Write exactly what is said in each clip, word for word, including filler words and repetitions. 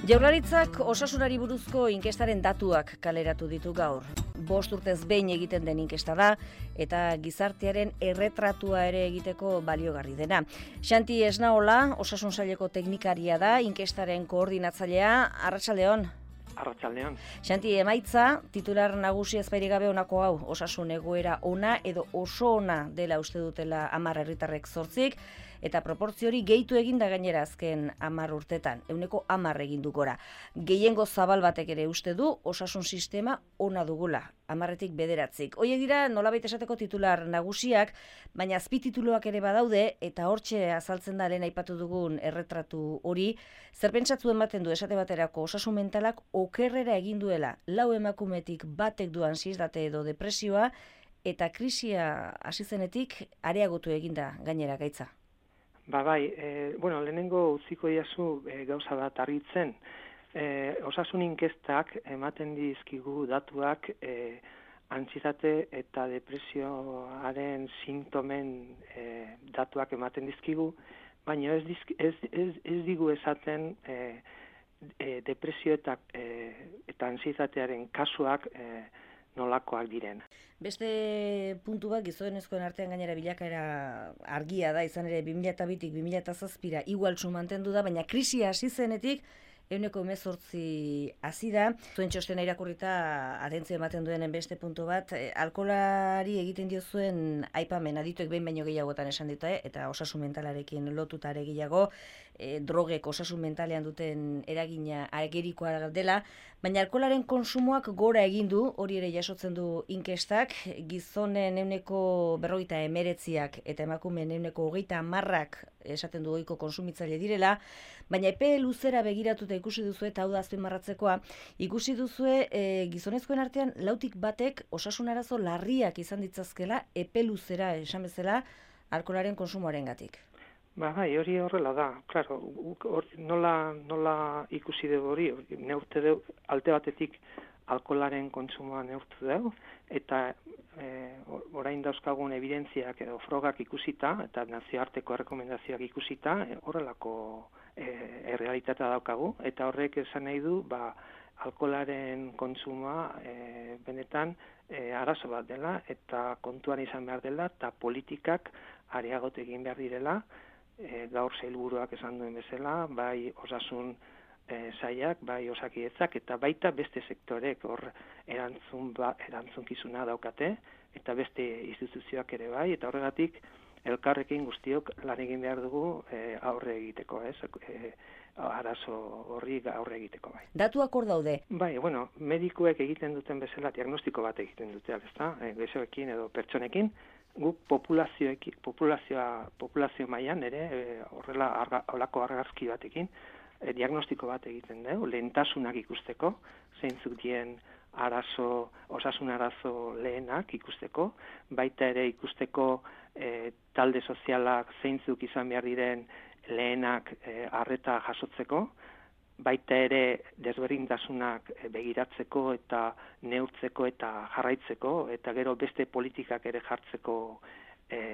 Jaurlaritzak osasunari buruzko inkestaren datuak kaleratu ditu gaur. Bost urtez behin egiten den inkesta da eta gizartearen erretratua ere egiteko baliogarri dena. Xanti Esnaola, osasun saileko teknikaria da, inkestaren koordinatzailea. Arratsaldeon. Arratsaldeon. Xanti, emaitza, titular nagusi ezbairik gabe honako hau, osasun egoera ona edo oso ona dela uste dutela hamar herritarrek zortzik, eta proportzio hori gehitu eginda gainera azken hamar urtetan, ehuneko hamar egin du gora. Gehiengo zabal batek ere uste du osasun sistema ona dugula, hamarretik bederatzik. Hoiek dira nolabait esateko titular nagusiak, baina azpitituluak ere badaude, eta hortxe azaltzen da lehen aipatu dugun erretratu hori, zer pentsatzu ematen du esate baterako osasun mentalak okerrera egin duela, lau emakumetik batek du ansiedade edo depresioa, eta krisia hasi zenetik areagotu eginda gainera gaitza. Ba bai, e, bueno, lehenengo utziko diazu e, gauza bat argitzen. E, osasun inkestak ematen dizkigu datuak e, antsietate eta depresioaren sintomen e, datuak ematen dizkigu, baina ez, dizk, ez, ez, ez digu esaten e, e, depresio eta, e, eta antsietatearen kasuak e, nolakoak diren. Beste puntu bat gizonezkoen artean gainera bilakaera argia da, izan ere bi mila bitik bi mila zazpira igualtsu mantendu da, baina krisia hasi zenetik ehuneko hemezortzi hasi da. Zuen txostena irakurrita atentzio ematen duenen beste puntu bat, eh, alkoholari egiten diozuen aipamen adituek behin baino gehiagotan esan dute, eh, eta osasun mentalarekin lotuta ere gehiago, eh, drogek osasun mentalean duten eragina agerikoa dela, baina alkoholaren konsumoak gora egin du, hori ere jasotzen du inkestak, gizonen ehuneko berrogeita hemeretziak eta emakumeen ehuneko hogeita hamarrak esaten du ohiko konsumitzaile direla, baina epe luzera begiratuta ikusi duzue, eta hau da azpimarratzekoa, ikusi duzue e, gizonezkoen artean lautik batek osasun arazo larriak izan ditzazkela epe luzera esan bezala alkoholaren konsumoarengatik. Ba bai, hori horrela da. Claro, or, nola, nola ikusi dugu hori, neurte dugu, alte batetik alkoholaren kontsumoa neurtu dugu, eta e, orain dauzkagun evidentziak edo frogak ikusita, eta nazioarteko errekomendazioak ikusita, e, horrelako e, errealitatea daukagu, eta horrek esan nahi du, ba, alkoholaren kontsumoa e, benetan e, arazo bat dela, eta kontuan izan behar dela, eta politikak areagotu egin behar direla, e, gaur sailburuak esan duen bezala, bai osasun E, saiak, bai osakidetzak, eta baita beste sektorek hor erantzun ba, erantzunkizuna daukate, eta beste instituzioak ere bai, eta horregatik elkarrekin guztiok lan egin behar dugu e, aurre egiteko, ez? E, arazo horri aurre egiteko bai. Datuak hor daude. Bai, bueno, medikuek egiten duten bezala diagnostiko bat egiten dute, ezta? E, Gaixoekin edo pertsonekin, guk populazioekin, populazioa, populazio mailan ere e, horrela arga, holako argazki batekin E, diagnostiko bat egiten dugu, lehentasunak ikusteko, zeintzuk dien arazo, osasun arazo lehenak ikusteko, baita ere ikusteko e, talde sozialak zeintzuk izan behar diren lehenak e, arreta jasotzeko, baita ere desberdintasunak begiratzeko eta neurtzeko eta jarraitzeko, eta gero beste politikak ere jartzeko e,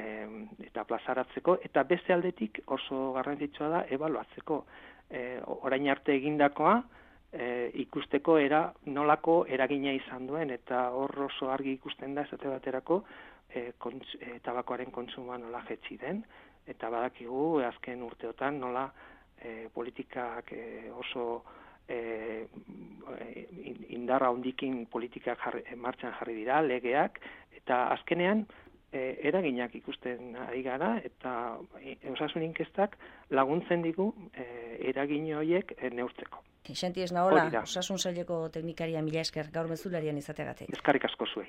eta plazaratzeko, eta beste aldetik oso garrantzitsua da ebaluatzeko. E, orain arte egindakoa e, ikusteko era nolako eragina izan duen, eta hor oso argi ikusten da esate baterako e, kontz, e, tabakoaren kontsumoa nola jetzi den, eta badakigu azken urteotan nola e, politikak e, oso e, indarra handikin politikak jarri, martxan jarri dira, legeak, eta azkenean E, eraginak ikusten ari gara, eta e, osasun inkestak laguntzen digu e, eragin horiek e, neurtzeko. Xanti Esnaola, osasun saileko teknikaria, mila esker gaur mezularian izateagatik. Eskerrik asko zuei.